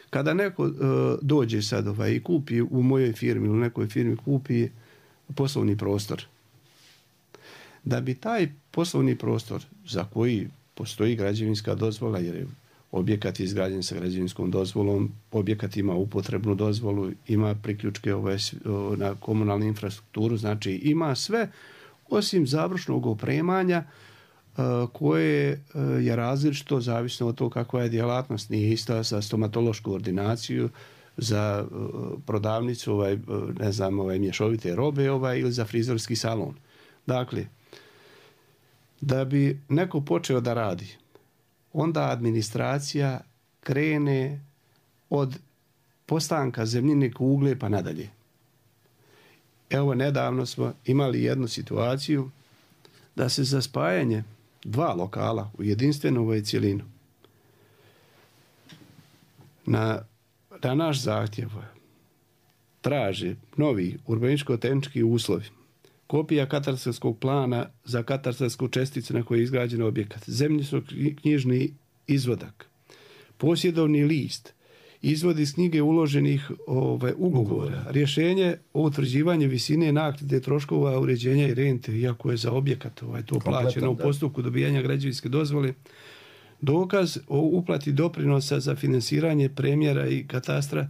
Kada neko dođe sad i kupi u mojoj firmi ili nekoj firmi kupi poslovni prostor, da bi taj poslovni prostor za koji postoji građevinska dozvola, jer je objekat izgrađen sa građevinskom dozvolom, objekat ima upotrebnu dozvolu, ima priključke na komunalnu infrastrukturu, znači ima sve osim završnog opremanja koje je različito zavisno od toga kakva je djelatnost. Nije ista za stomatološku ordinaciju, za prodavnicu mješovite robe ili za frizerski salon. Dakle, da bi neko počeo da radi, onda administracija krene od postanka zemljine kugle pa nadalje. Evo, nedavno smo imali jednu situaciju da se za spajanje 2 lokala u jedinstvenu cjelinu na naš zahtjev traži novi urbanističko-tehnički uslovi, kopija katastarskog plana za katastarsku česticu na kojoj je izgrađen objekat, zemljišno-knjižni izvadak, posjedovni list, izvod iz knjige uloženih ugovora, rješenje o utvrđivanju visine naknade troškova uređenja i rente, iako je za objekat to plaćeno u postupku dobijanja građevinske dozvole, dokaz o uplati doprinosa za finansiranje premjera i katastra,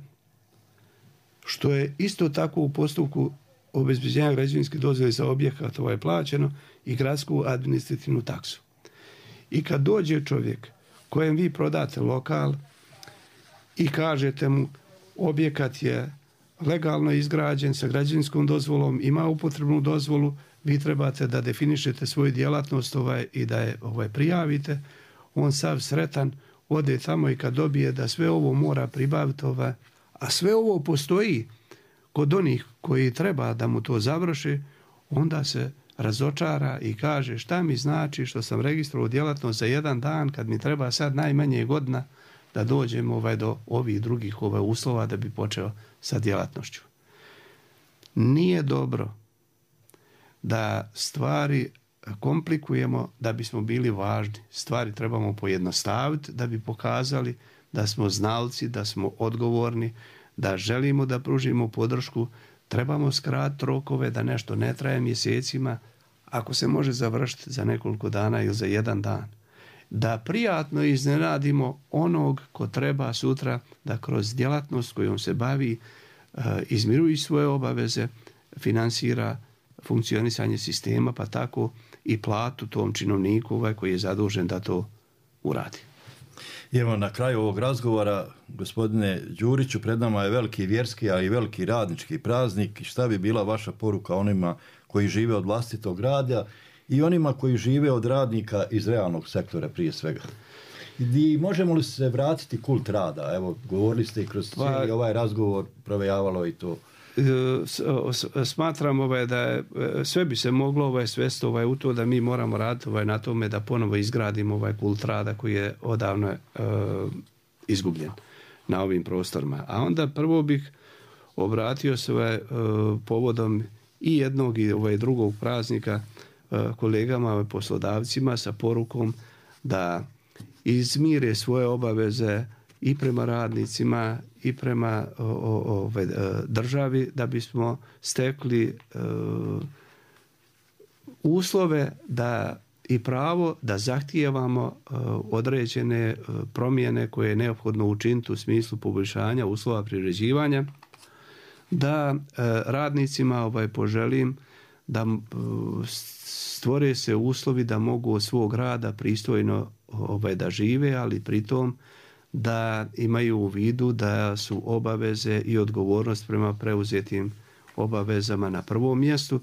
što je isto tako u postupku obezbeđenja građevinske dozvole za objekat plaćeno, i gradsku administrativnu taksu. I kad dođe čovjek kojem vi prodate lokal i kažete mu objekat je legalno izgrađen sa građevinskom dozvolom, ima upotrebnu dozvolu, vi trebate da definišete svoju djelatnost i da je prijavite, on sav sretan ode tamo i kad dobije da sve ovo mora pribaviti, a sve ovo postoji kod onih koji treba da mu to završi, onda se razočara i kaže šta mi znači što sam registrovao djelatnost za 1 dan kad mi treba sad najmanje godina da dođem do ovih drugih uslova da bi počeo sa djelatnošću. Nije dobro da stvari komplikujemo da bismo bili važni. Stvari trebamo pojednostaviti da bi pokazali da smo znalci, da smo odgovorni, da želimo da pružimo podršku. Trebamo skratiti rokove da nešto ne traje mjesecima, ako se može završiti za nekoliko dana ili za 1 dan. Da prijatno iznenadimo onog ko treba sutra da kroz djelatnost kojom se bavi izmiruje svoje obaveze, finansira funkcionisanje sistema, pa tako i platu tom činovniku koji je zadužen da to uradi. I evo na kraju ovog razgovora, gospodine Đuriću, pred nama je veliki vjerski, ali i veliki radnički praznik. Šta bi bila vaša poruka onima koji žive od vlastitog rada i onima koji žive od radnika iz realnog sektora prije svega? I možemo li se vratiti kult rada? Evo, govorili ste i kroz cijeli ovaj razgovor, provejavalo i to. Smatram da je, sve bi se moglo svesti u to da mi moramo raditi na tome da ponovo izgradimo kult rada koji je odavno izgubljen na ovim prostorima. A onda prvo bih obratio se povodom i jednog i drugog praznika kolegama, poslodavcima sa porukom da izmire svoje obaveze i prema radnicima i prema državi, da bismo stekli uslove da i pravo da zahtijevamo određene promjene koje je neophodno učiniti u smislu poboljšanja uslova privređivanja, da radnicima poželim da stvore se uslovi da mogu od svog rada pristojno da žive, ali pritom da imaju u vidu da su obaveze i odgovornost prema preuzetim obavezama na prvom mjestu,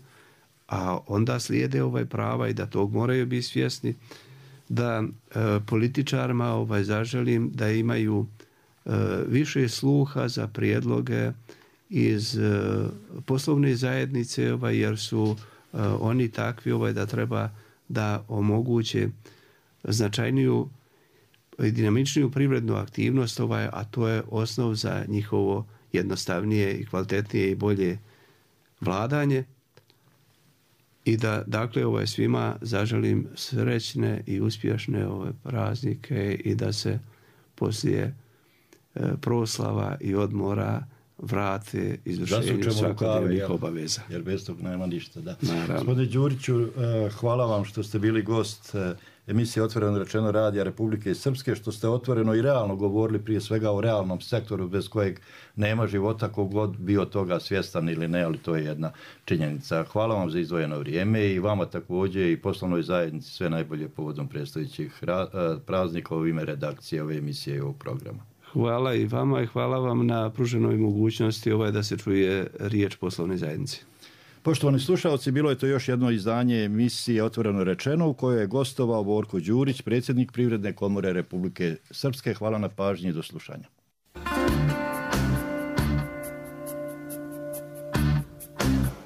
a onda slijede prava i da tog moraju biti svjesni, da političarima zaželim da imaju više sluha za prijedloge iz poslovne zajednice, jer su oni takvi da treba da omoguće značajniju i dinamičniju privrednu aktivnost, a to je osnov za njihovo jednostavnije i kvalitetnije i bolje vladanje. I da, dakle, svima zaželim srećne i uspješne praznike i da se poslije proslava i odmora vrate izvršenju svakodnevnih obaveza. Jer bez tog nema ništa. Da. Gospodine Đuriću, hvala vam što ste bili gost emisije Otvoreno rečeno radija Republike Srpske, što ste otvoreno i realno govorili prije svega o realnom sektoru bez kojeg nema života, kogod bio toga svjestan ili ne, ali to je jedna činjenica. Hvala vam za izdvojeno vrijeme i vama također i poslovnoj zajednici sve najbolje povodom predstojećih praznika u ime redakcije ove emisije i ovog programa. Hvala i vama i hvala vam na pruženoj mogućnosti da se čuje riječ poslovne zajednice. Poštovani slušalci, bilo je to još jedno izdanje emisije Otvoreno rečeno u kojoj je gostovao Borko Đurić, predsjednik Privredne komore Republike Srpske. Hvala na pažnji i do slušanja.